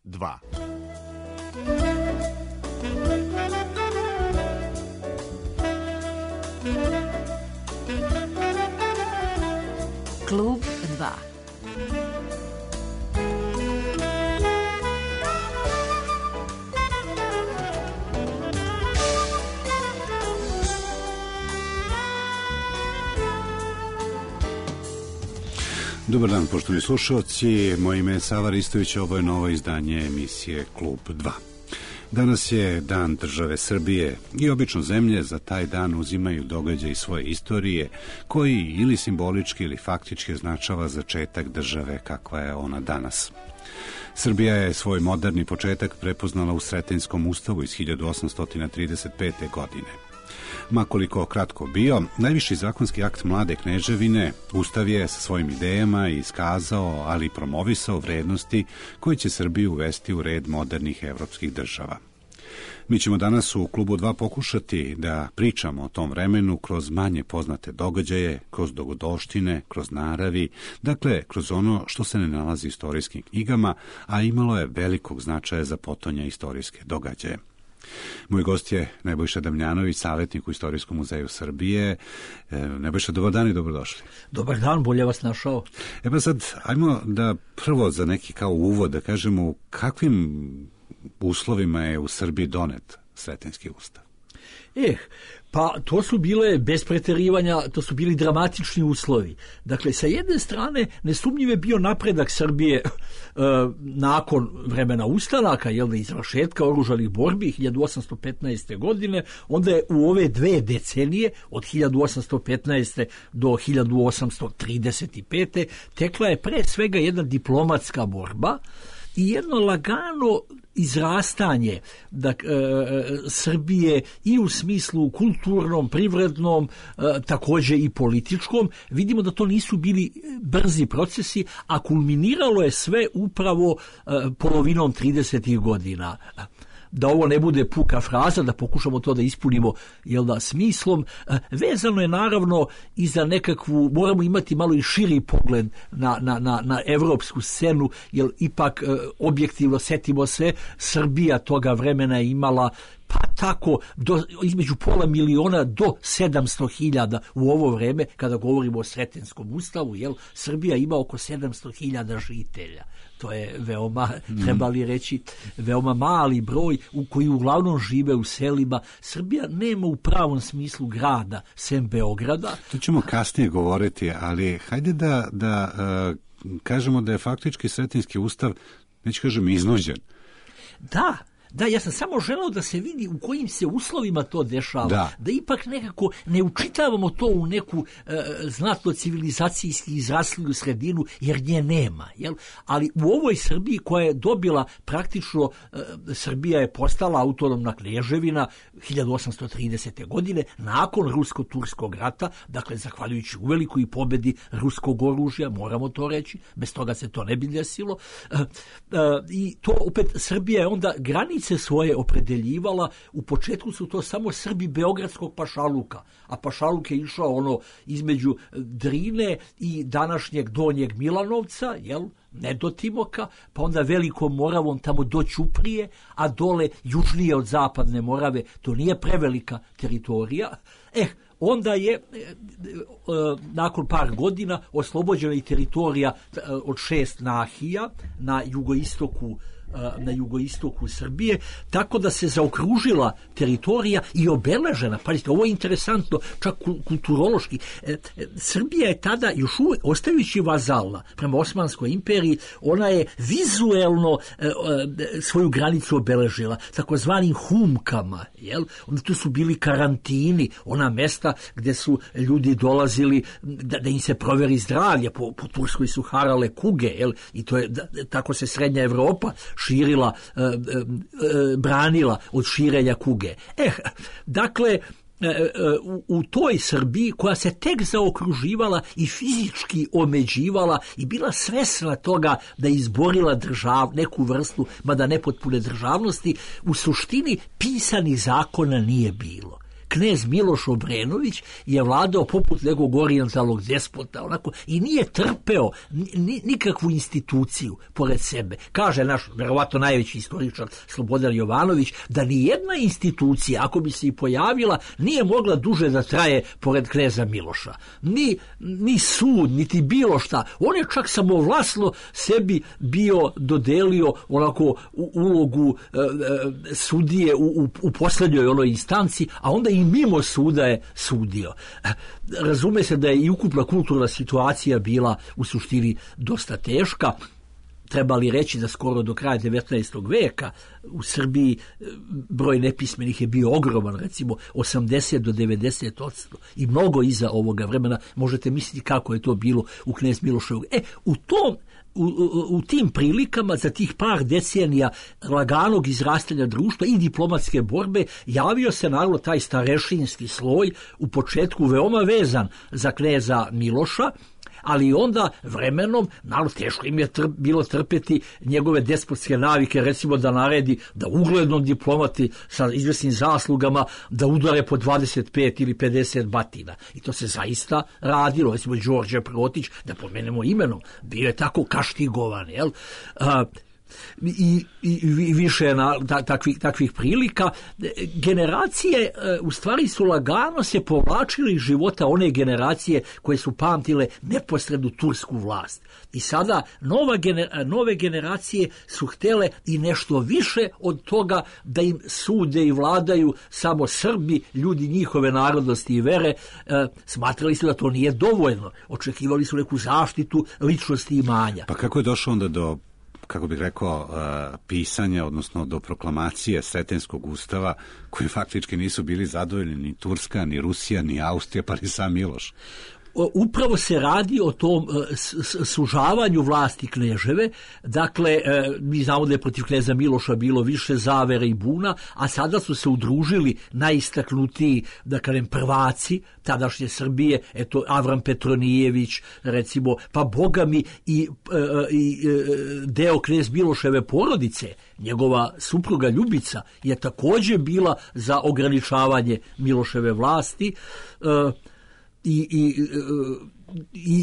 2. Klub 2. Dobar dan, poštovani slušalci. Moje ime je Sava Ristović, ovo je novo izdanje emisije Klub 2. Danas je Dan države Srbije i obično zemlje za taj dan uzimaju događaj svoje istorije koji ili simbolički ili faktički označava začetak države kakva je ona danas. Srbija je svoj moderni početak prepoznala u Sretinskom ustavu iz 1835. godine. Makoliko kratko bio, najviši zakonski akt mlade kneževine, Ustav je sa svojim idejama iskazao, ali i promovisao vrednosti koje će Srbiju uvesti u red modernih evropskih država. Mi ćemo danas u Klubu 2 pokušati da pričamo o tom vremenu kroz manje poznate događaje, kroz dogodoštine, kroz naravi, dakle kroz ono što se ne nalazi u istorijskim knjigama, a imalo je velikog značaja za potonja istorijske događaje. Moj gost je Nebojša Damljanović, savjetnik u Istorijskom muzeju Srbije. Nebojša, dobar dan i dobrodošli. Dobar dan, bolje vas našao. Pa sad, ajmo da prvo za neki kao uvod da kažemo u kakvim uslovima je u Srbiji donet Sretenski ustav. Pa to su bile, bez preterivanja, to su bili dramatični uslovi. Dakle, sa jedne strane, nesumnjiv je bio napredak Srbije nakon vremena ustanaka, izvršetka oružanih borbi 1815. godine, onda je u ove 2 decenije, od 1815. do 1835. tekla je pre svega jedna diplomatska borba i jedno lagano izrastanje Srbije i u smislu kulturnom, privrednom, također i političkom. Vidimo da to nisu bili brzi procesi, a kulminiralo je sve upravo polovinom 30. godina. Da ovo ne bude puka fraza, da pokušamo to da ispunimo smislom. Vezano je naravno i za nekakvu, moramo imati malo i širi pogled na evropsku scenu, jer ipak objektivno setimo se, Srbija toga vremena je imala pa tako između 500.000 do 700.000 u ovo vreme, kada govorimo o Sretinskom ustavu, Srbija ima oko 700.000 žitelja. To je veoma, treba li reći, veoma mali broj koji uglavnom žive u selima. Srbija nema u pravom smislu grada, sem Beograda. To ćemo kasnije govoriti, ali hajde da kažemo da je faktički Sretenski ustav, neću kažem, iznuđen. Da, ja sam samo želeo da se vidi u kojim se uslovima to dešava, da ipak nekako ne učitavamo to u neku znatno civilizacijski izrasliju sredinu, jer nje nema. Ali u ovoj Srbiji koja je dobila praktično, Srbija je postala autonomna kneževina 1830. godine, nakon Rusko-Turskog rata, dakle zahvaljujući uvelikoj pobedi ruskog oružja, moramo to reći, bez toga se to ne bi desilo. I to opet Srbija je onda granice svoje opredeljivala. U početku su to samo Srbi beogradskog pašaluka, a pašaluk je išao između Drine i današnjeg Donjeg Milanovca, ne do Timoka, pa onda Velikom Moravom tamo do Ćuprije, a dole južnije od Zapadne Morave, to nije prevelika teritorija. Onda je nakon par godina oslobođena i teritorija od 6 nahija na jugoistoku Srbije, tako da se zaokružila teritorija i obeležena. Pazite, ovo je interesantno, čak kulturološki. Srbija je tada, još uvijek, ostajući vazalna prema Osmanskoj imperiji, ona je vizuelno svoju granicu obeležila takozvanim humkama. Onda tu su bili karantini, ona mesta gdje su ljudi dolazili da im se proveri zdravlje. Po Turskoj su harale kuge, i to je, tako se Srednja Evropa širila, branila od širenja kuge. Dakle, u toj Srbiji koja se tek zaokruživala i fizički omeđivala i bila svesna toga da je izborila neku vrstu, mada nepotpune državnosti, u suštini pisanih zakona nije bilo. knez Miloš Obrenović je vladao poput nekog orijentalnog despota, onako, i nije trpeo nikakvu instituciju pored sebe. Kaže naš, verovatno najveći istoričar Slobodan Jovanović, da ni jedna institucija, ako bi se i pojavila, nije mogla duže da traje pored kneza Miloša. Ni sud, niti bilo šta. On je čak samovlasno sebi bio dodelio onako ulogu sudije u poslednjoj onoj instanci, a onda i mimo suda je sudio. Razume se da je i ukupna kulturna situacija bila u suštini dosta teška. Treba li reći da skoro do kraja 19. veka u Srbiji broj nepismenih je bio ogroman, recimo 80 do 90%, i mnogo iza ovoga vremena. Možete misliti kako je to bilo u knez Miloševog. U tim prilikama, za tih par decenija laganog izrastanja društva i diplomatske borbe, javio se naravno taj starešinski sloj, u početku veoma vezan za kneza Miloša, ali onda vremenom, naravno, teško im je bilo trpeti njegove despotske navike, recimo da naredi da uglednom diplomati sa izvesnim zaslugama da udare po 25 ili 50 batina. I to se zaista radilo. Recimo Đorđe Protić, da pomenemo imenom, bio je tako kaštigovan, jel? I više takvih prilika. Generacije u stvari su lagano se povlačili iz života one generacije koje su pamtile neposrednu tursku vlast. I sada nove generacije su htjele i nešto više od toga, da im sude i vladaju samo Srbi, ljudi njihove narodnosti i vere. Smatrali su da to nije dovoljno. Očekivali su neku zaštitu ličnosti i imanja. Pa kako je došlo onda do, kako bih rekao, pisanja, odnosno do proklamacije Sretenskog ustava, koji faktički nisu bili zadovoljni ni Turska, ni Rusija, ni Austrija, pa ni sam Miloš? Upravo se radi o tom sužavanju vlasti kneževe. Dakle, mi znamo da je protiv kneza Miloša bilo više zavere i buna, a sada su se udružili najistaknutiji, da kažem, prvaci tadašnje Srbije, eto Avram Petronijević, recimo, pa bogami i deo knez Miloševe porodice, njegova supruga Ljubica je također bila za ograničavanje Miloševe vlasti. I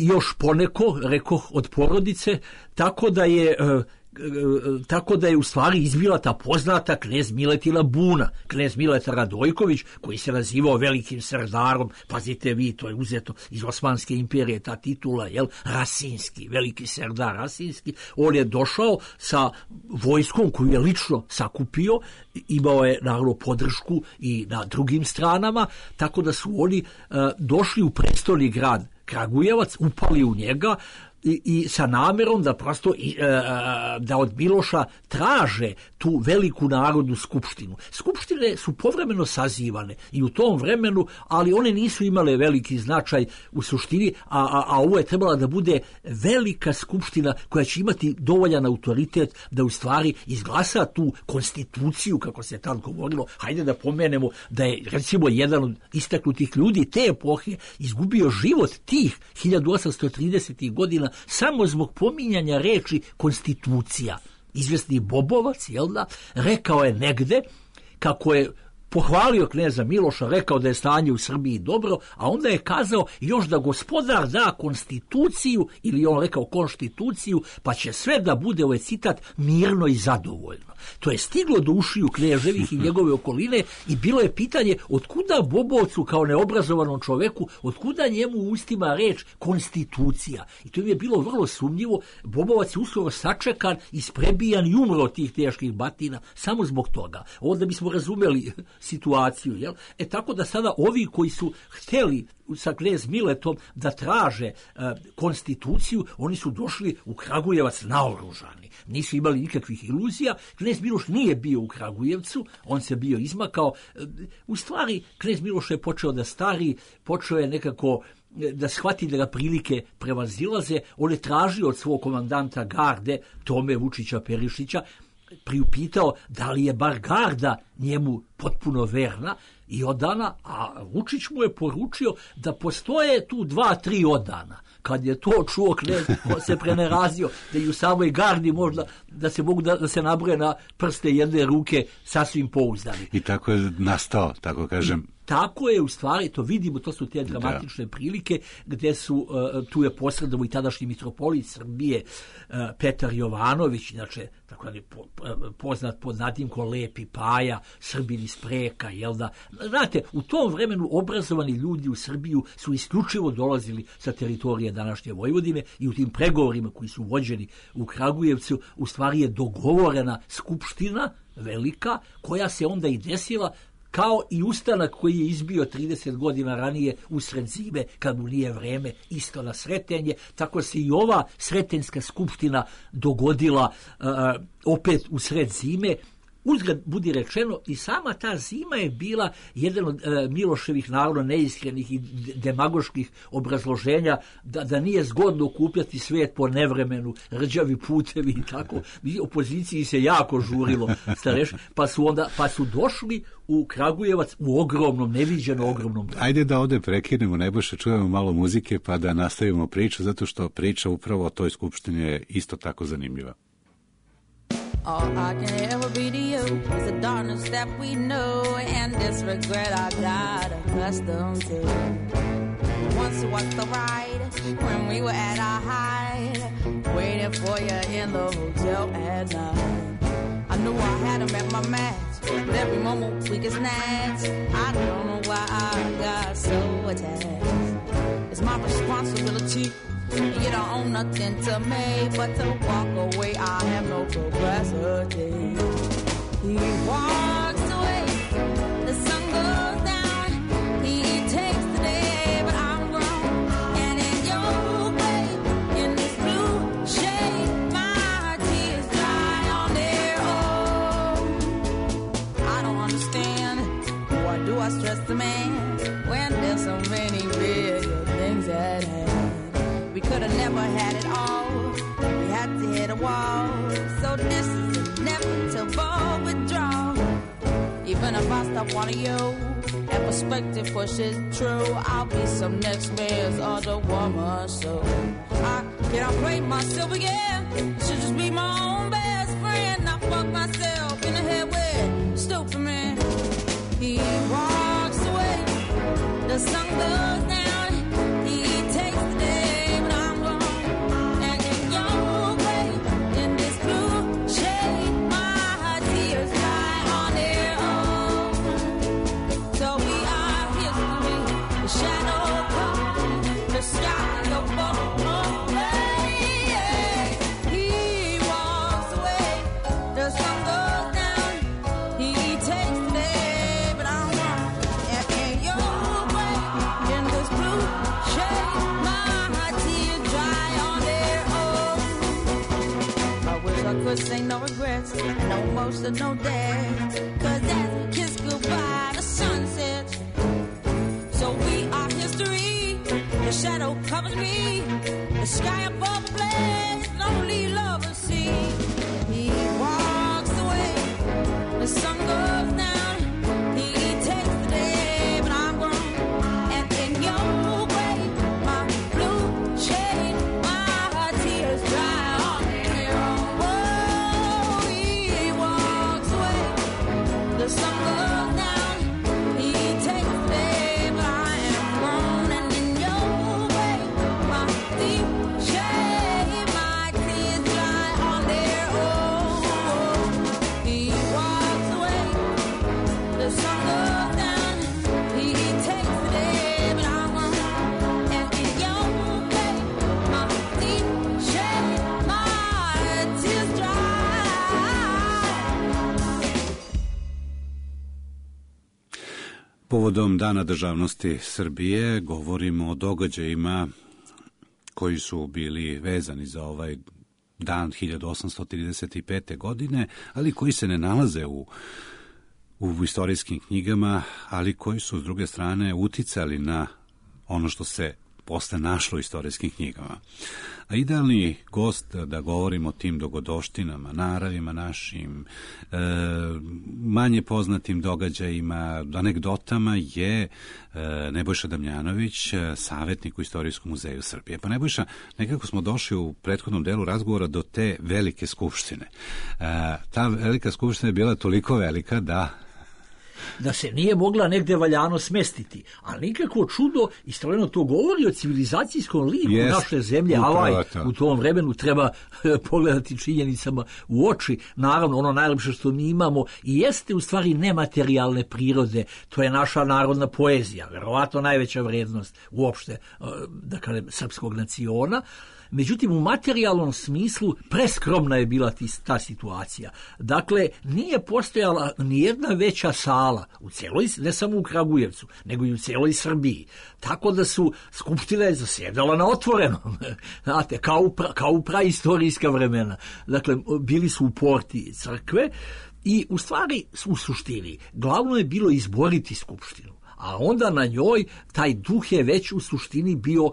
još poneko, rekoh, od porodice, tako da je u stvari izbila ta poznata knez Miletina buna, knez Mileta Radojković, koji se nazivao velikim serdarom. Pazite vi, to je uzeto iz Osmanske imperije, ta titula, jel, Rasinski, veliki serdar Rasinski. On je došao sa vojskom koju je lično sakupio, imao je naravno podršku i na drugim stranama, tako da su oni došli u prestolni grad Kragujevac, upali u njega i sa namerom da prosto da od Miloša traže tu veliku narodnu skupštinu. Skupštine su povremeno sazivane i u tom vremenu, ali one nisu imale veliki značaj u suštini, a ovo je trebala da bude velika skupština koja će imati dovoljan autoritet da u stvari izglasa tu konstituciju, kako se tad govorilo. Hajde da pomenemo da je, recimo, jedan od istaknutih ljudi te epohe izgubio život tih 1830. godina samo zbog pominjanja reči konstitucija. Izvesni Bobovac, jel da, rekao je negde kako je pohvalio kneza Miloša, rekao da je stanje u Srbiji dobro, a onda je kazao još da gospodar da konstituciju, ili on rekao konstituciju, pa će sve da bude, ovaj citat, mirno i zadovoljno. To je stiglo do ušiju kneževih i njegove okoline i bilo je pitanje otkuda Bobovcu kao neobrazovanom čoveku, otkuda njemu u ustima reč konstitucija. I to im je bilo vrlo sumnjivo. Bobovac je uskoro sačekan, isprebijan i umro od tih teških batina samo zbog toga. Onda bismo razumeli situaciju, jel? Tako da sada ovi koji su hteli sa knez Miletom da traže konstituciju, oni su došli u Kragujevac naoružani. Nisu imali nikakvih iluzija. Knez Miloš nije bio u Kragujevcu, on se bio izmakao. U stvari, knez Miloš je počeo da stari, počeo je nekako da shvati da ga prilike prevazilaze. On je tražio od svog komandanta garde, Tome Vučića Perišića, priupitao da li je bar garda njemu potpuno verna i odana, a Vučić mu je poručio da postoje tu 2-3 odana. Kad je to čuo knez, on se prenerazio da i u samoj gardi možda da se mogu da se nabroje na prste jedne ruke sasvim pouzdani. I tako je nastao, tako kažem, tako je u stvari, to vidimo, to su te dramatične prilike gdje su, tu je posredovo i tadašnji mitropolit Srbije Petar Jovanović, inače tako je poznat pod nadimkom Lepi Paja, Srbin iz Preka, jel da? Znate, u tom vremenu obrazovani ljudi u Srbiju su isključivo dolazili sa teritorije današnje Vojvodine i u tim pregovorima koji su vođeni u Kragujevcu u stvari je dogovorena skupština velika koja se onda i desila kao i ustanak koji je izbio 30 godina ranije usred zime, kad mu nije vreme, isto na Sretenje, tako se i ova Sretenjska skupština dogodila opet usred zime. Uzgled budi rečeno, i sama ta zima je bila jedan od Miloševih naravno neiskrenih i demagoških obrazloženja da nije zgodno okupljati svijet po nevremenu, rđavi putevi i tako. Opoziciji se jako žurilo, pa su došli u Kragujevac u ogromnom, neviđeno ogromnom broju. Ajde da ovdje prekinemo, Nebojša, čujemo malo muzike pa da nastavimo priču, zato što priča upravo o toj skupštini je isto tako zanimljiva. All I can ever be to you is the darkness that we know and this regret I got accustomed to. Once was the ride when we were at our height, waiting for you in the hotel at night. I knew I had him at my match, but every moment we get snatched. I don't know why I got so attached. It's my responsibility. You don't own nothing to me but to walk away. I have no capacity. He walks away, the sun goes down. He takes the day, but I'm grown. And in your way, in this blue shade, my tears dry on their own. I don't understand, why do I stress the man when there's so many bigger things at hand? We could have never had it all. We had to hit a wall. So this is inevitable withdrawal. Even if I stop wanting you, and perspective pushes true, I'll be some next man's other woman. So I cannot play myself again. Should just be my own best friend. I fuck myself in the head with stupid man. He walks away. The sun goes down. He takes the day. Ain't no regrets, no emotion, no death. Cause as we kiss goodbye, the sun sets. So we are history. The shadow covers me. The sky above the blaze, lonely lovers see. He walks away. The sun goes down. He takes the day, but I'm grown. And in your way, my blue shade, my tears dry. The sun goes down, he takes the day, but I am grown. And in your way, my deep shade, my tears dry on their own. He walks away, the sun goes down, he takes the day, but I'm grown. And in your way, my deep shade, my tears dry. Povodom Dana državnosti Srbije govorimo o događajima koji su bili vezani za ovaj dan 1835. godine, ali koji se ne nalaze u istorijskim knjigama, ali koji su s druge strane uticali na ono što se posle našlo u istorijskim knjigama. A idealni gost da govorimo o tim dogodoštinama, naravima našim, manje poznatim događajima, anegdotama je Nebojša Damjanović, savjetnik u Istorijskom muzeju Srbije. Pa Nebojša, nekako smo došli u prethodnom delu razgovora do te velike skupštine. Ta velika skupština je bila toliko velika da da se nije mogla negde valjano smestiti. Ali nikako čudo, istovremeno to govori o civilizacijskom liku naše zemlje, u tom vremenu treba pogledati činjenicama u oči. Naravno, ono najlepše što mi imamo i jeste u stvari nematerijalne prirode, to je naša narodna poezija, verovatno najveća vrednost uopšte, da kažem, srpskog naciona. Međutim, u materijalnom smislu preskromna je bila ta situacija. Dakle, nije postojala nijedna veća sala u celoj, ne samo u Kragujevcu, nego i u celoj Srbiji. Tako da su skupština je zasjedala na otvorenom, znate, kao u praistorijska vremena. Dakle, bili su u porti crkve i u stvari, u suštini, glavno je bilo izboriti skupštinu. A onda na njoj taj duh je već u suštini bio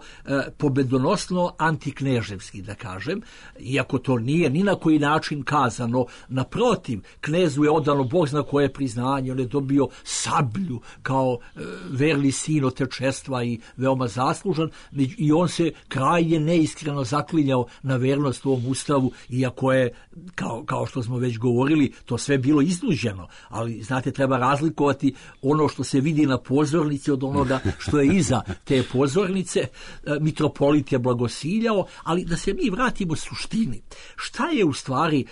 pobedonosno antikneževski, da kažem, iako to nije ni na koji način kazano. Naprotiv, knezu je odano Bog zna koje priznanje, on je dobio sablju kao verni sin otečestva i veoma zaslužan, i on se krajnje neiskreno zaklinjao na vernost ovom ustavu, iako je, kao što smo već govorili, to sve bilo iznuđeno. Ali, znate, treba razlikovati ono što se vidi na pozornici od onoga što je iza te pozornice. Mitropolit je blagosiljao, ali da se mi vratimo suštini. Šta je u stvari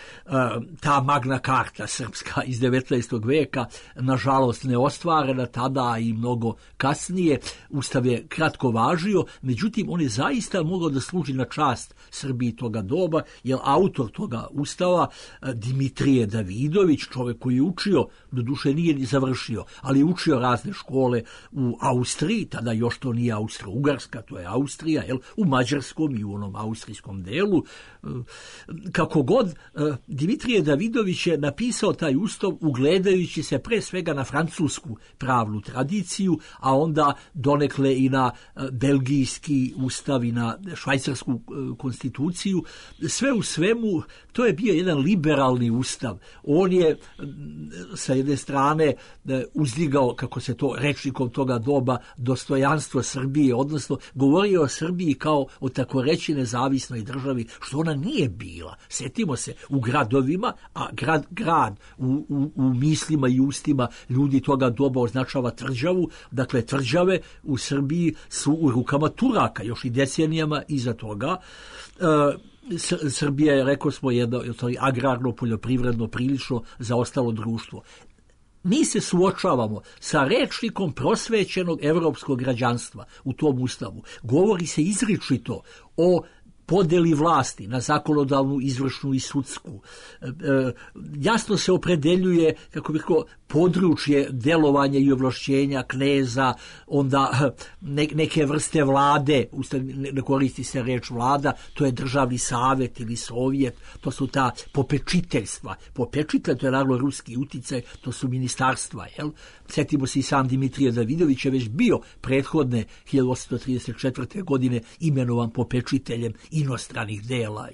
ta Magna Carta srpska iz 19. veka, nažalost neostvarena tada i mnogo kasnije. Ustav je kratko važio, međutim on je zaista mogao da služi na čast Srbiji toga doba, jer autor toga ustava, Dimitrije Davidović, čovjek koji je učio, doduše nije ni završio, ali je učio razne škole u Austriji, tada još to nije Austro-Ugarska, to je Austrija, u mađarskom i u onom austrijskom delu. Kako god, Dimitrije Davidović je napisao taj ustav ugledajući se pre svega na francusku pravnu tradiciju, a onda donekle i na belgijski ustav i na švajcarsku konstituciju. Sve u svemu, to je bio jedan liberalni ustav. On je sa jedne strane uzdigao, kako se to rečnikom toga doba, dostojanstvo Srbije, odnosno govorio o Srbiji kao o tako reći nezavisnoj državi, što ona nije bila. Sjetimo se, u gradovima, a grad u mislima i ustima ljudi toga doba označava tvrđavu, dakle tvrđave u Srbiji su u rukama Turaka, još i decenijama iza toga. Srbija je, rekao smo, jedno agrarno, poljoprivredno, prilično zaostalo društvo. Mi se suočavamo sa rečnikom prosvećenog evropskog građanstva u tom ustavu. Govori se izričito o podeli vlasti na zakonodavnu, izvršnu i sudsku. Jasno se opredeljuje, kako bih rekao, područje delovanja i ovlašćenja kneza, onda neke vrste vlade, ne koristi se reč vlada, to je državni savjet ili sovjet, to su ta popečiteljstva. Popečitelj, to je naravno ruski uticaj, to su ministarstva. Sjetimo se i sam Dimitrije Davidović je već bio prethodne 1834. godine imenovan popečiteljem inostranih dela.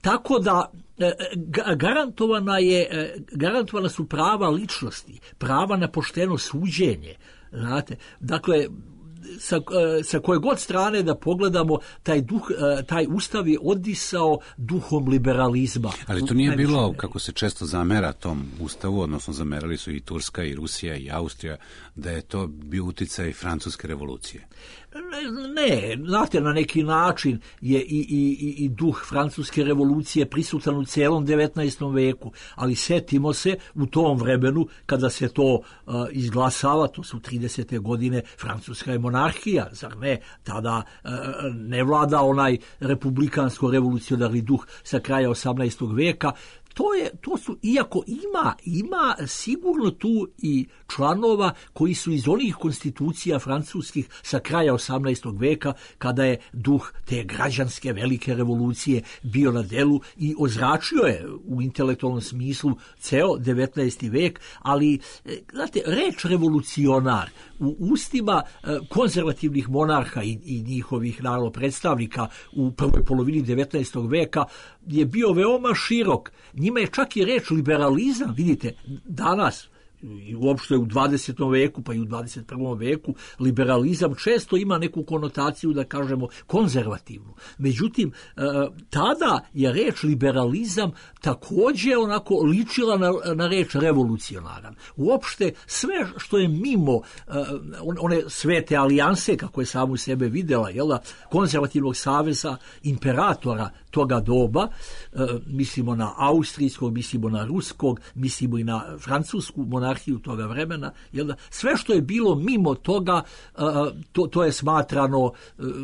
Tako da garantovana su prava ličnosti, prava na pošteno suđenje. Znate, dakle, sa koje god strane da pogledamo, taj ustav je odisao duhom liberalizma. Ali to nije bilo, kako se često zamera tom ustavu, odnosno zamerali su i Turska i Rusija i Austrija, da je to bio uticaj francuske revolucije. Ne, znate, na neki način je i duh francuske revolucije prisutan u celom 19. veku, ali setimo se u tom vremenu kada se to izglasava, to su 30. godine, Francuska je monarhija, zar ne? Tada ne vlada onaj republikansko-revolucionarni duh sa kraja 18. veka. To su, iako ima sigurno tu i članova koji su iz onih konstitucija francuskih sa kraja 18. veka, kada je duh te građanske velike revolucije bio na delu i ozračio je u intelektualnom smislu ceo 19. vek, ali, znate, reč revolucionar u ustima konzervativnih monarha i njihovih naravno predstavnika u prvoj polovini 19. veka je bio veoma širok. Njima je čak i reč liberalizam, vidite, danas i uopšte u 20. veku pa i u 21. veku liberalizam često ima neku konotaciju, da kažemo, konzervativnu. Međutim, tada je reč liberalizam također onako ličila na reč revolucionaran. Uopšte sve što je mimo one svete alijanse, kako je samu sebe vidjela, konzervativnog saveza imperatora toga doba, mislimo na austrijskog, mislimo na ruskog, mislimo i na francusku monarhiju toga vremena, sve što je bilo mimo toga, to je smatrano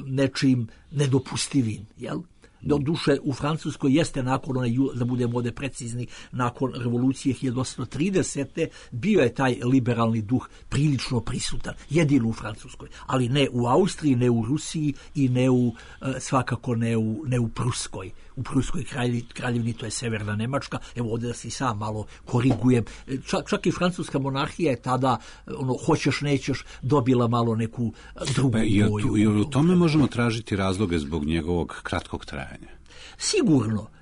nečim nedopustivim, Do duše u Francuskoj jeste nakon da budemo ovdje precizni, nakon revolucije 1830. bio je taj liberalni duh prilično prisutan, jedino u Francuskoj, ali ne u Austriji, ne u Rusiji i svakako ne u Pruskoj. U Pruskoj kraljevini, to je severna Nemačka, evo ovdje da se i sam malo korigujem, čak i francuska monarhija je tada, hoćeš nećeš, dobila malo neku drugu boju. I u tome možemo tražiti razloge zbog njegovog kratkog trajanja.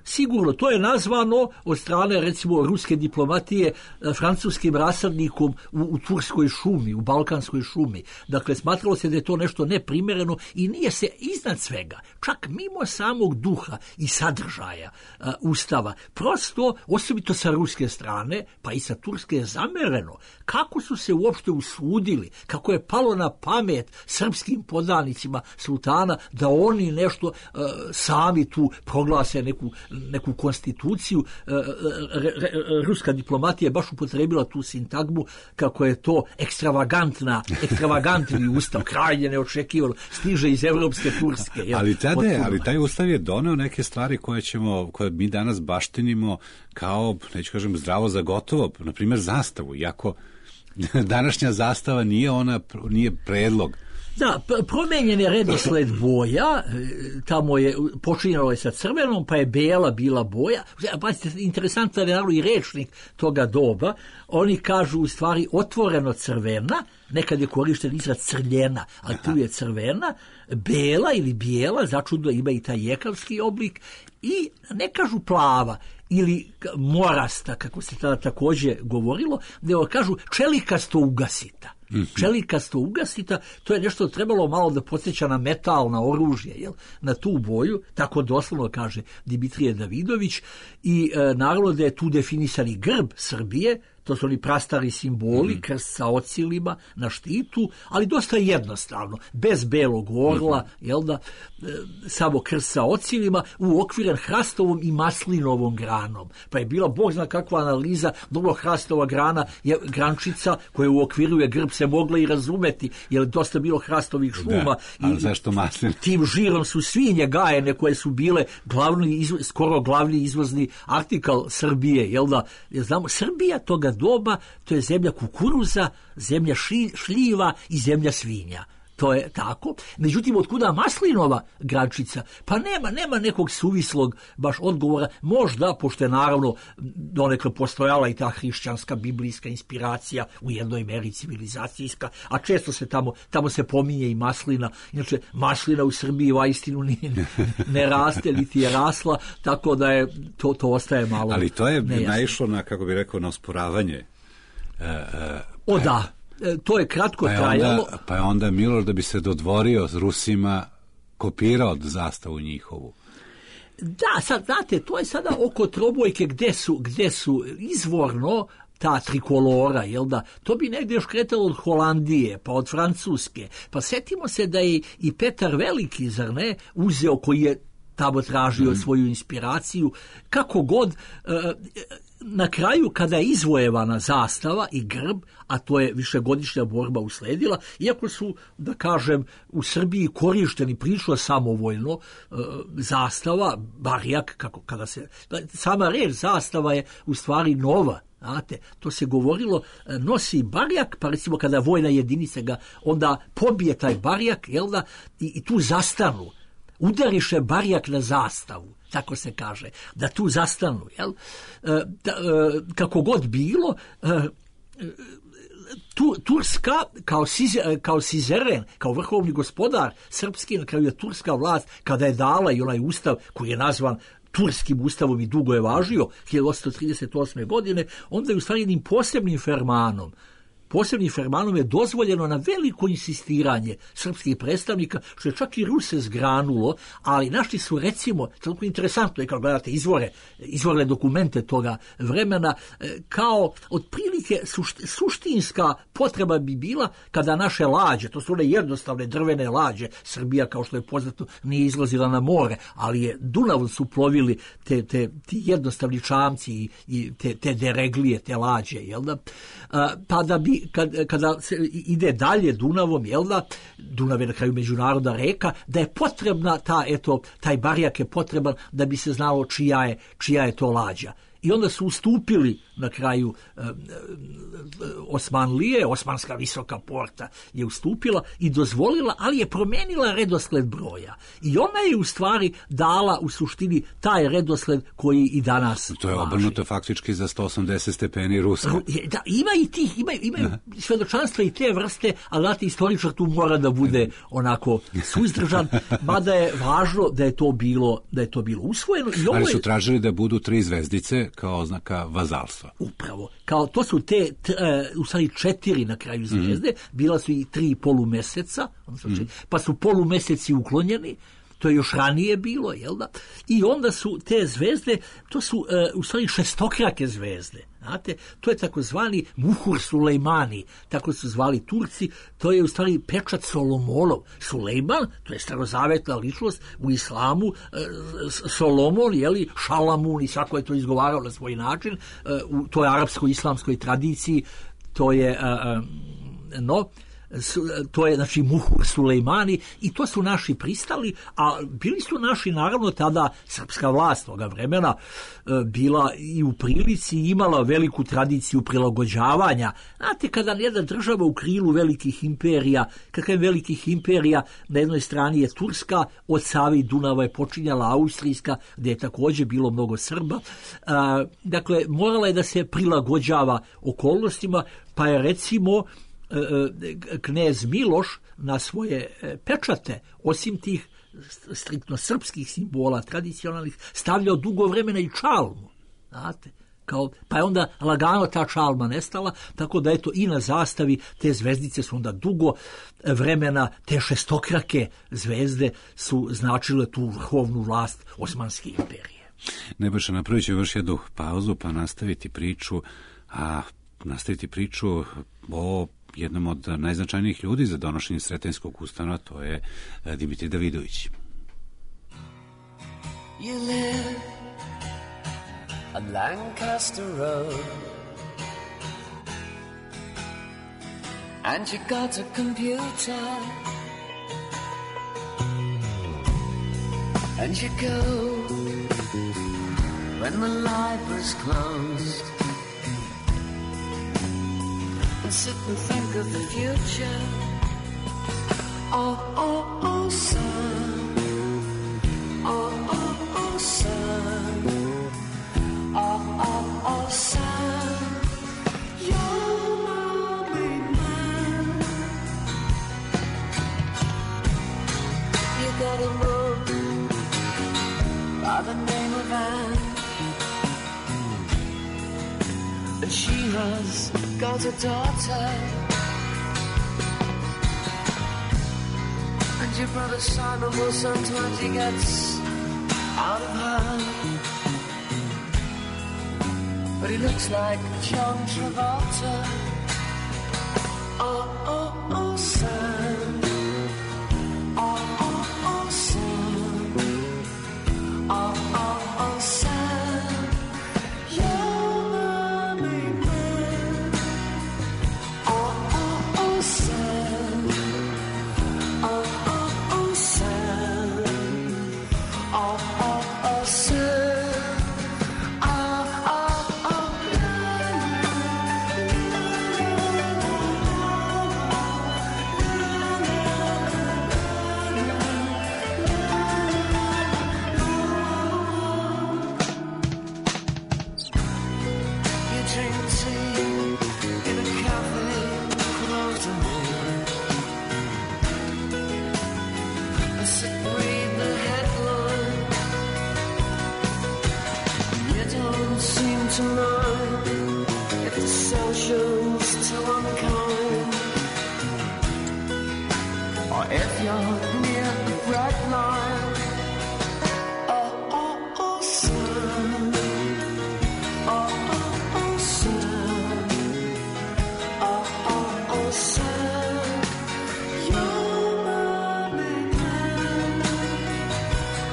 Sigurno, to je nazvano od strane, recimo, ruske diplomatije francuskim rasadnikom u Turskoj šumi, u Balkanskoj šumi. Dakle, smatralo se da je to nešto neprimjereno i nije se iznad svega, čak mimo samog duha i sadržaja Ustava, prosto, osobito sa ruske strane, pa i sa turske, je zamereno kako su se uopšte usudili, kako je palo na pamet srpskim podanicima sultana da oni nešto sami tu proglase neku konstituciju. Ruska diplomatija je baš upotrebila tu sintagmu kako je to ekstravagantni ustav, krajnje neočekivano, stiže iz evropske Turske. Ali taj ustav je doneo neke stvari koje mi danas baštinimo kao, neću kažem, zdravo za gotovo, na primjer zastavu, iako današnja zastava nije predlog. Da, promenjen je redosled boja, tamo je počinjalo je sa crvenom, pa je bela bila boja. Interesantan je naravno i rečnik toga doba. Oni kažu u stvari otvoreno crvena, nekad je korišten izraz crljena, ali tu je crvena, bela ili bijela, začudno ima i taj jekavski oblik, i ne kažu plava ili morasta, kako se tada također govorilo, nego kažu čelikasto ugasita. Čelikasto ugasita, to je nešto trebalo malo da podsjeća na metal, na oružje, na tu boju, tako doslovno kaže Dimitrije Davidović, i naravno da je tu definisani grb Srbije, to su oni prastari simboli, krst sa ocilima na štitu, ali dosta jednostavno, bez belog orla, samo krst sa ocilima, uokviren hrastovom i maslinovom granom. Pa je bila, Bog zna kakva analiza, dobro, hrastova grana je grančica koja uokviruje grb, se mogla i razumeti, jer je dosta bilo hrastovih šuma. Da, ali zašto maslin? Tim žirom su svinje gajene koje su bile skoro glavni izvozni artikal Srbije, znamo, Srbija toga doba, to je zemlja kukuruza, zemlja šljiva i zemlja svinja. To je tako. Međutim, otkuda maslinova grančica? Pa nema nekog suvislog baš odgovora. Možda, pošto je naravno donekle postojala i ta hrišćanska, biblijska inspiracija, u jednoj meri civilizacijska, a često se tamo se pominje i maslina. Inače, maslina u Srbiji vaistinu ne raste, niti je rasla, tako da je to ostaje malo. Ali to je naišlo na, kako bi rekao, na osporavanje. Da. To je kratko trajalo. Pa je onda Milorad, da bi se dodvorio s Rusima, kopirao zastavu njihovu. Da, sad, znate, to je sada oko trobojke gde su izvorno ta trikolora, to bi negdje još kretalo od Holandije, pa od Francuske. Pa setimo se da je i Petar Veliki, zar ne, uzeo, koji je tamo tražio svoju inspiraciju, kako god. Na kraju, kada je izvojevana zastava i grb, a to je višegodišnja borba usledila, iako su, da kažem, u Srbiji korišteni prilično samovoljno zastava, barjak, sama reč zastava je u stvari nova. Znate, to se govorilo, nosi barjak, pa recimo kada vojna jedinica ga onda pobije taj barjak, i tu zastanu. Udariše barjak na zastavu, tako se kaže, da tu zastanu, kako god bilo, Turska kao sizeren, kao vrhovni gospodar srpski, na kraju je turska vlast, kada je dala i onaj ustav koji je nazvan turskim ustavom i dugo je važio 1838. godine, onda je u stvari jednim posebnim fermanom je dozvoljeno na veliko insistiranje srpskih predstavnika, što je čak i Ruse zgranulo, ali našli su, recimo, toliko interesantno je kad gledate izvorne dokumente toga vremena, kao otprilike suštinska potreba bi bila kada naše lađe, to su one jednostavne drvene lađe, Srbija, kao što je poznato, nije izlazila na more, ali je Dunavom su plovili ti jednostavni čamci i te dereglije, te lađe, jel da? Pa da bi kada se ide dalje Dunavom, jel da, Dunav je na kraju međunarodna reka, da je potrebna taj barijak je potreban da bi se znalo čija je to lađa. I onda su ustupili na kraju Osmanlije, Osmanska visoka porta je ustupila i dozvolila, ali je promenila redosled broja. I ona je u stvari dala u suštini taj redosled koji i danas to je obrnuto faktički za 180 stepeni Ruska. Da, imaju svedočanstva i te vrste, ali znate, istoričar tu mora da bude onako suzdržan, mada je važno da je to bilo usvojeno. I ali su tražili da budu 3 zvezdice kao oznaka vazalstva. Upravo. Kao to su u stvari 4 na kraju zvezde, bila su i 3 polumeseca, pa su polumeseci uklonjeni, to je još ranije bilo, jel da? I onda su te zvezde, to su u stvari šestokrake zvezde. Znate, to je takozvani Muhur Sulejmani, tako su zvali Turci, to je u stvari pečat Solomonov. Sulejman, to je starozavetna ličnost u islamu, Solomon, jeli, Šalamun i svako je to izgovarao na svoj način, u toj arapsko-islamskoj tradiciji, to je to je znači Muhur Sulejmani i to su naši pristali, a bili su naši naravno tada srpska vlast toga vremena bila i u prilici i imala veliku tradiciju prilagođavanja. Znate, kada jedna država u krilu velikih imperija, kakve velikih imperija, na jednoj strani je Turska, od Save i Dunava je počinjala Austrijska, gdje je također bilo mnogo Srba, dakle morala je da se prilagođava okolnostima, pa je recimo knez Miloš na svoje pečate, osim tih striktno srpskih simbola tradicionalnih, stavljao dugo vremena i čalmu, znate, pa je onda lagano ta čalma nestala, tako da eto i na zastavi te zvezdice su onda dugo vremena, te šestokrake zvezde su značile tu vrhovnu vlast Osmanske imperije. Nebojša, napravit ću još jednu pauzu pa nastaviti priču o jednom od najznačajnijih ljudi za donošenje Sretenjskog ustava, to je Dimitrij Davidović. You live on Lancaster Road and you got a computer and you go when the library's closed and sit and think of the future. Oh, oh, oh, son. Oh, oh, oh, son. Oh, oh, oh, son. You're my big man. You got a move by the name of Anne, and she has got a daughter, and your brother Simon will sometimes he gets out of hand, but he looks like John Travolta. Oh, oh, oh, son. Oh, oh, oh, son. Oh, oh, oh, son. to mine. If the social's too unkind, or if you're near the red line, oh, son, oh, son, oh, son, you're my man,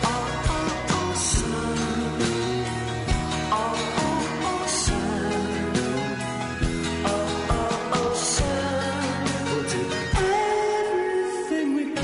oh, son, oh, son, oh, son, we'll do everything we can.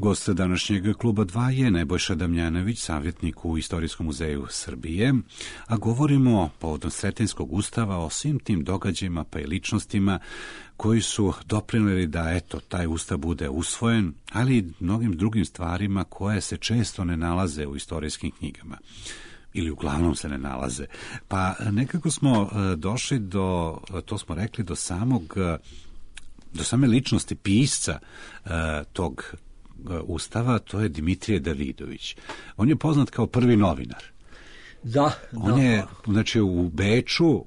Gost današnjeg kluba 2 je Nebojša Damjanović, savjetnik u Istorijskom muzeju Srbije, a govorimo povodom Sretenjskog ustava o svim tim događajima pa i ličnostima koji su doprinijeli da taj ustav bude usvojen, ali i mnogim drugim stvarima koje se često ne nalaze u istorijskim knjigama. Ili uglavnom se ne nalaze. Pa nekako smo došli do, to smo rekli, do same ličnosti pisca tog ustava, to je Dimitrije Davidović. On je poznat kao prvi novinar. On je, znači, u Beču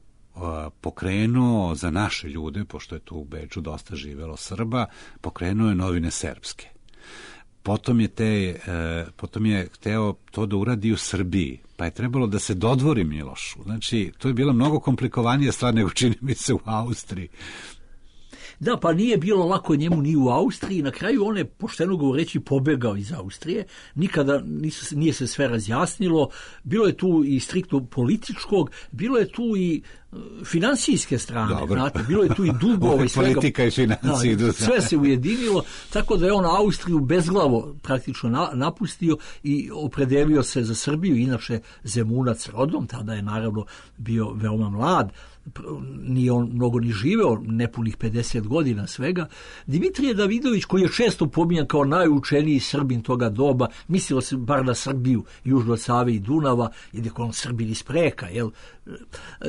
pokrenuo za naše ljude, pošto je tu u Beču dosta živelo Srba, pokrenuo je Novine srpske. Potom je hteo to da uradi u Srbiji, pa je trebalo da se dodvori Milošu. Znači, to je bila mnogo komplikovanija stvar nego čini mi se u Austriji. Da, pa nije bilo lako njemu ni u Austriji. Na kraju on je, pošteno govoreći, pobegao iz Austrije. Nikada nije se sve razjasnilo. Bilo je tu i striktno političkog, bilo je tu i finansijske strane. Znate, bilo je tu i dugova i svega. Politika i financije. Da, sve se ujedinilo, tako da je on Austriju bezglavo praktično napustio i opredelio se za Srbiju, inače Zemunac rodom, tada je naravno bio veoma mlad, nije on mnogo ni živeo, nepunih 50 godina svega. Dimitrije Davidović, koji je često pominjan kao najučeniji Srbin toga doba, mislilo se bar na Srbiju južno od Save i Dunava, jer je on Srbin iz Preka, jel?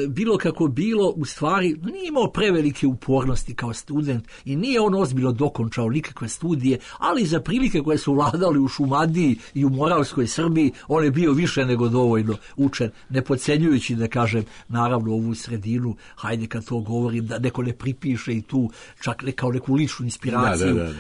Bilo kako bilo, u stvari nije imao prevelike upornosti kao student i nije on ozbiljno dokončao nikakve studije, ali za prilike koje su vladali u Šumadiji i u Moravskoj Srbiji, on je bio više nego dovoljno učen, ne podcenjujući, da kažem, naravno ovu sredinu, hajde kad to govorim, da neko ne pripiše i tu čak kao neku ličnu inspiraciju. Da.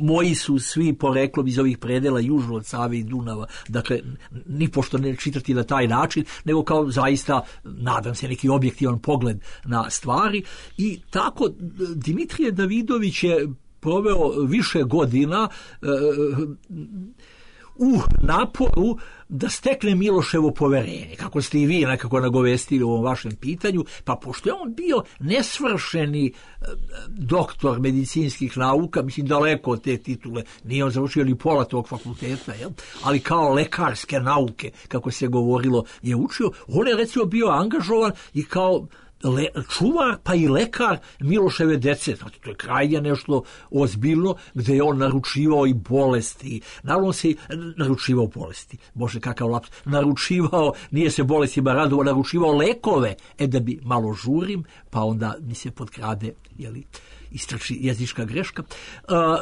Moji su svi poreklom iz ovih predela južno od Save i Dunava, dakle, nipošto ne čitati na taj način, nego kao zaista, nadam se, neki objektivan pogled na stvari. I tako Dimitrije Davidović je proveo više godina u naporu da stekne Miloševo poverenje, kako ste i vi nekako nagovestili u ovom vašem pitanju, pa pošto je on bio nesvršeni doktor medicinskih nauka, mislim daleko od te titule, nije on završio ni pola tog fakulteta, jel? Ali kao lekarske nauke, kako se govorilo, je učio. On je recimo bio angažovan i kao čuvar pa i lekar Miloševe dece. Znači, to je krajnje nešto ozbiljno, gde je on naručivao i bolesti. Naravno se naručivao bolesti. Bože, kakav laps. Naručivao, nije se bolestima radovao, naručivao lekove. Da bi malo žurim, pa onda mi se potkrade, istrači jezička greška.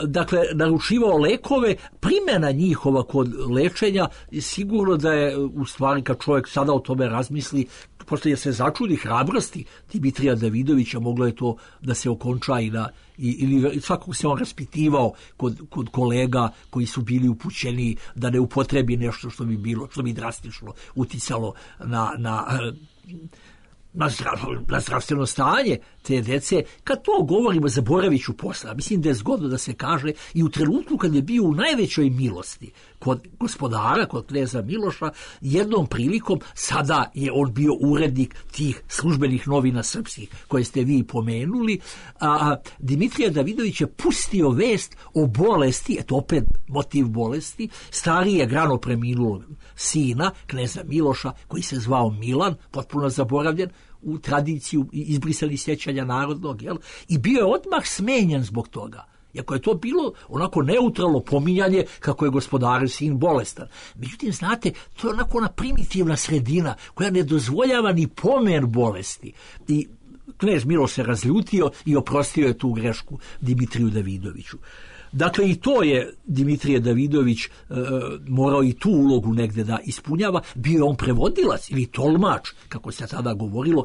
Dakle, naručivao lekove, primjena njihova kod lečenja, sigurno da je, u stvari, kad čovjek sada o tome razmisli, pošto je se začudi hrabrosti Dimitrija Davidovića, moglo je to da se okonča ili svakog se on raspitivao kod kolega koji su bili upućeni da ne upotrebi nešto što bi drastično uticalo na na zdravstveno stanje te dece. Kad to govorimo, zaboravit ću posle. Mislim da je zgodno da se kaže i u trenutku kad je bio u najvećoj milosti kod gospodara, kod kneza Miloša, jednom prilikom, sada je on bio urednik tih službenih novina srpskih koje ste vi pomenuli, Dimitrije Davidović je pustio vest o bolesti, eto opet motiv bolesti, starije grano preminulog sina kneza Miloša, koji se zvao Milan, potpuno zaboravljen u tradiciju izbrisali sjećanja narodnog, jel? I bio je odmah smenjen zbog toga. Iako je to bilo onako neutralno pominjanje kako je gospodar sin bolestan. Međutim, znate, to je onako ona primitivna sredina koja ne dozvoljava ni pomen bolesti. I knez Miloš se razljutio i oprostio je tu grešku Dimitriju Davidoviću. Dakle, i to je Dimitrije Davidović morao i tu ulogu negde da ispunjava. Bio je on prevodilac ili tolmač, kako se tada govorilo.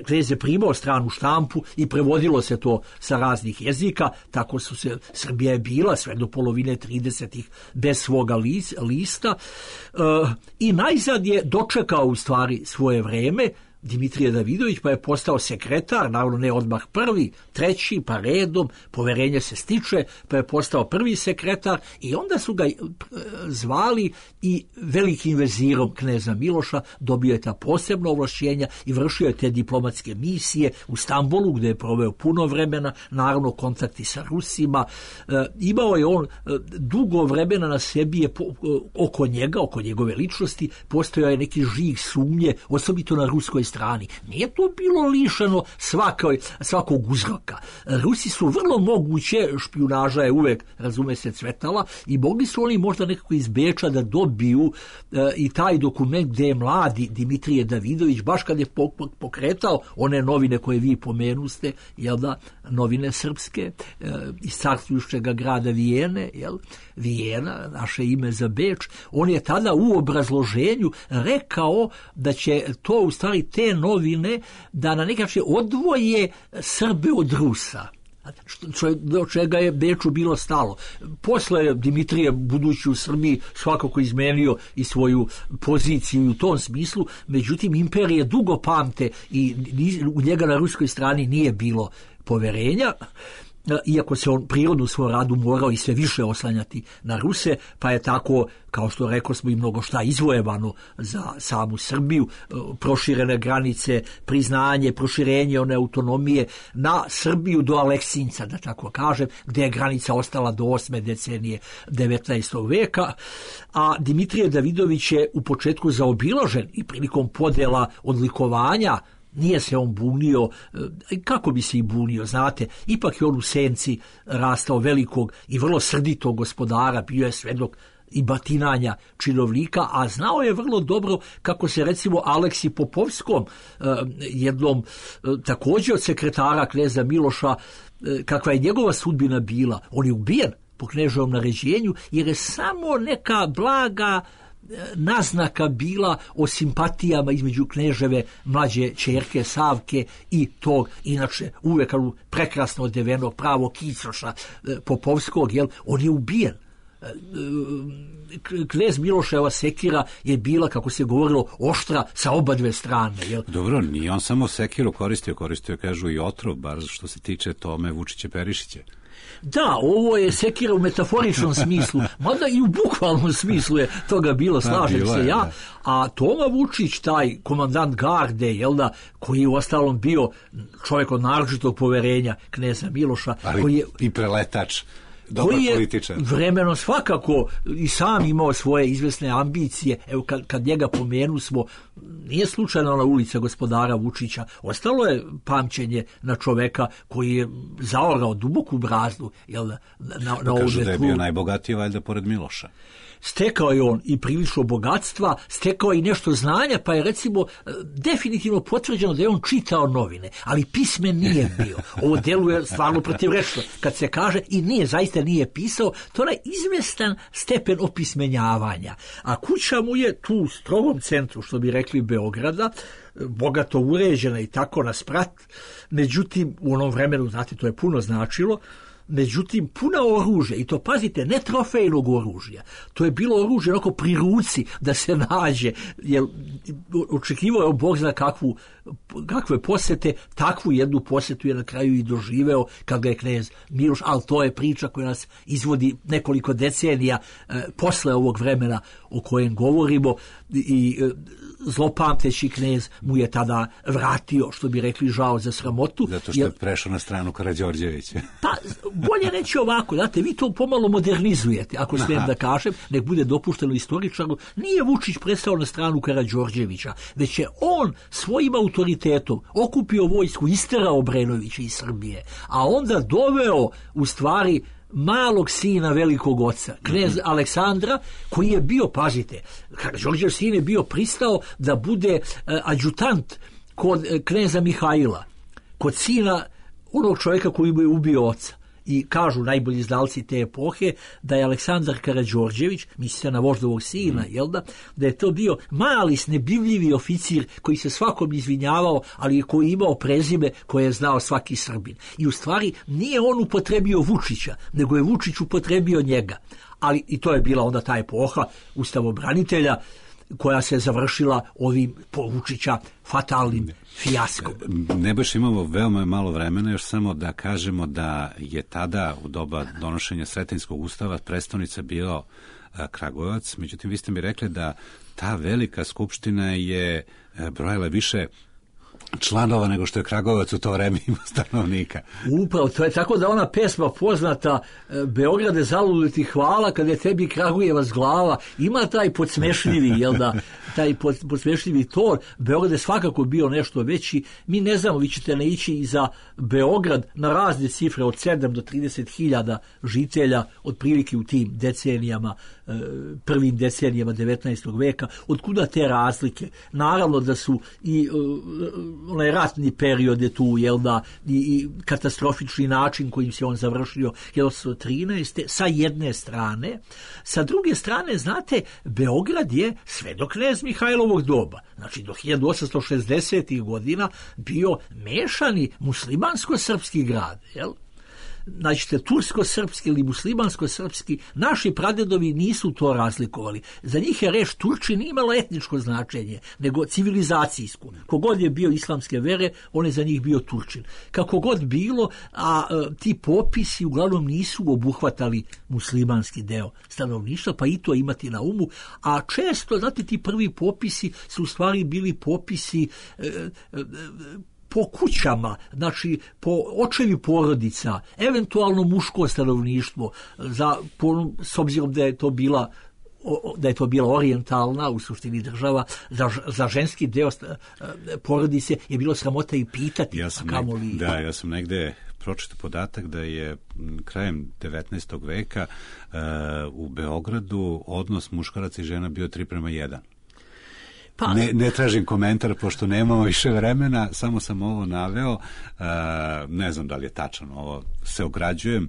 Knez je primao stranu štampu i prevodilo se to sa raznih jezika. Tako su se, Srbija je bila sve do polovine 30-ih bez svoga lista. I najzad je dočekao u stvari svoje vreme Dimitrije Davidović, pa je postao sekretar, naravno ne odmah prvi, treći, pa redom, poverenje se stiče, pa je postao prvi sekretar i onda su ga zvali i velikim vezirom kneza Miloša, dobio je ta posebna ovlašćenja i vršio je te diplomatske misije u Stambolu, gdje je proveo puno vremena, naravno kontakti sa Rusima. Imao je on dugo vremena na sebi, je oko njega, oko njegove ličnosti, postojao je neki žig sumnje, osobito na ruskoj strani. Nije to bilo lišeno svakog uzroka. Rusi su vrlo moguće, špijunaža je uvek, razume se, cvetala, i mogli su oni možda nekako iz Beča da dobiju i taj dokument gdje je mladi Dimitrije Davidović, baš kad je pokretao one novine koje vi pomenuste, jel da, novine srpske iz carstvujušćega grada Vijene, jel, Vijena, naše ime za Beč, on je tada u obrazloženju rekao da će to u stvari te novine da na neki način odvoje Srbe od Rusa, do čega je Beču bilo stalo. Posle Dimitrije, budući u Srbiji, svakako izmenio i svoju poziciju u tom smislu, međutim imperije dugo pamte i u njega na ruskoj strani nije bilo poverenja, iako se on prirodno u svoj radu morao i sve više oslanjati na Ruse, pa je tako, kao što rekao smo, i mnogo šta izvojevano za samu Srbiju, proširene granice, priznanje, proširenje one autonomije na Srbiju do Aleksinca, da tako kažem, gdje je granica ostala do 8. decenije 19. veka, a Dimitrije Davidović je u početku zaobilažen i prilikom podjela odlikovanja. Nije se on bunio, kako bi se i bunio, znate, ipak je on u senci rastao velikog i vrlo srditog gospodara, bio je svedok i batinanja činovnika, a znao je vrlo dobro kako se recimo Aleksi Popovskom, jednom također od sekretara kneza Miloša, kakva je njegova sudbina bila. On je ubijen po kneževom naređenju jer je samo neka blaga naznaka bila o simpatijama između kneževe mlađe ćerke Savke i tog, inače uvek prekrasno odevenog pravog kicoša Popovskog, jel, on je ubijen. Knez Miloševa sekira je bila, kako se govorilo, oštra sa oba dve strane. Jel? Dobro, nije on samo sekiru koristio, kažu, i otrov, bar što se tiče Tome Vučića Perišića. Da, ovo je sekira u metaforičnom smislu, mada i u bukvalnom smislu je toga bilo, slažem se ja. A Toma Vučić, taj komandant garde, jel da, koji je uostalom bio čovjek od naročitog poverenja kneza Miloša, ali koji je i preletač, dobar političar, vremeno svakako i sam imao svoje izvesne ambicije. Evo kad njega pomenu smo, nije slučajno ona ulica gospodara Vučića, ostalo je pamćenje na čoveka koji je zaorao duboku brazdu, jel, na kažu da je bio najbogatiji valjda pored Miloša. Stekao je on i prilično bogatstva, stekao i nešto znanja, pa je recimo definitivno potvrđeno da je on čitao novine, ali pismen nije bio. Ovo deluje stvarno protivrečno kad se kaže, i nije, zaista nije pisao, to je izvestan stepen opismenjavanja. A kuća mu je tu u strogom centru, što bi rekli, Beograda, bogato uređena i tako na sprat. Međutim, u onom vremenu, znate, to je puno značilo, Međutim, puna oružja, i to pazite, ne trofejnog oružja, to je bilo oružje onako pri ruci da se nađe, jer očekivao je Bog zna kakve posete, takvu jednu posetu je na kraju i doživeo kad ga je knez Miloš, ali to je priča koja nas izvodi nekoliko decenija posle ovog vremena o kojem govorimo, i zlopamteći knez mu je tada vratio, što bi rekli, žao za sramotu. Zato što je prešao na stranu Karađorđevića. Pa, bolje reći ovako, znate, vi to pomalo modernizujete, ako smijem da kažem, nek bude dopušteno istoričaru, nije Vučić prestao na stranu Karađorđevića, već je on svojim autoritetom okupio vojsku, isterao Obrenovića iz Srbije, a onda doveo u stvari malog sina velikog oca, knez Aleksandra, koji je bio, pazite, Karađorđev sin je bio pristao da bude adjutant kod kneza Mihajla, kod sina onog čovjeka koji mu je ubio oca. I kažu najbolji znalci te epohe da je Aleksandar Karađorđević, mislite na voždovog sina, jel da je to bio mali, snebivljivi oficir koji se svakom izvinjavao, ali koji je imao prezime koje je znao svaki Srbin. I u stvari nije on upotrebio Vučića, nego je Vučić upotrebio njega. Ali i to je bila onda ta epoha ustavobranitelja koja se završila ovim po Vučića fatalnim fijaskom. Nebojša, imamo veoma malo vremena, još samo da kažemo da je tada u doba donošenja Sretenjskog ustava prestonica bio Kragujevac, međutim vi ste mi rekli da ta velika skupština je brojala više članova nego što je Kragujevac u to vreme imao stanovnika. Upravo, to je tako da ona pesma poznata Beograde zaludi ti hvala kad je tebi Kragujevac glava, ima taj podsmešljivi, jel da, taj podsmešljivi ton. Beograd je svakako bio nešto veći. Mi ne znamo, vi ćete naići i za Beograd na razne cifre od 7 do 30.000 žitelja otprilike u tim decenijama, prvim decenijama 19. veka. Otkuda te razlike? Naravno da su i onaj ratni period je tu, jel da, i katastrofični način kojim se on završio 1913. sa jedne strane. Sa druge strane, znate, Beograd je sve do knez Mihajlovog doba, znači do 1860. godina, bio mešani muslimansko-srpski grad, jel? Znači, tursko-srpski ili muslimansko-srpski, naši pradedovi nisu to razlikovali. Za njih je reč Turčin imalo etničko značenje, nego civilizacijsko. Kogod je bio islamske vere, on je za njih bio Turčin. Kako god bilo, a ti popisi uglavnom nisu obuhvatali muslimanski deo stanovništva, pa i to imati na umu. A često, znate, ti prvi popisi su u stvari bili popisi po kućama, znači po očevi porodica, eventualno muško stanovništvo, s obzirom da je to bila orijentalna u suštini država, za ženski deo porodice je bilo sramota i pitati. Ja sam negde pročitao podatak da je krajem 19. veka u Beogradu odnos muškaraca i žena bio 3:1. Pa, ne tražim komentar, pošto nemamo više vremena, samo sam ovo naveo, ne znam da li je tačno, ovo se ograđujem.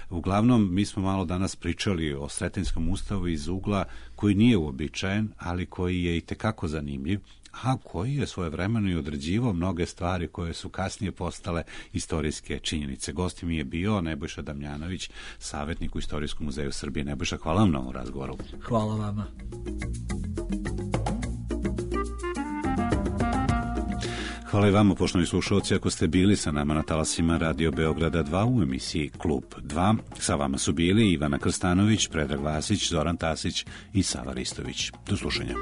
Uglavnom, mi smo malo danas pričali o Sretenjskom ustavu iz ugla koji nije uobičajen, ali koji je i tekako zanimljiv, a koji je svojevremeno i određivao mnoge stvari koje su kasnije postale istorijske činjenice. Gost mi je bio Nebojša Damjanović, savjetnik u Istorijskom muzeju Srbije. Nebojša, hvala vam na ovom razgovoru. Hvala vama. Hvala i vama, poštovani slušalci, ako ste bili sa nama na talasima Radio Beograda 2 u emisiji Klub 2. Sa vama su bili Ivana Krstanović, Predrag Vasić, Zoran Tasić i Sava Ristović. Do slušanja.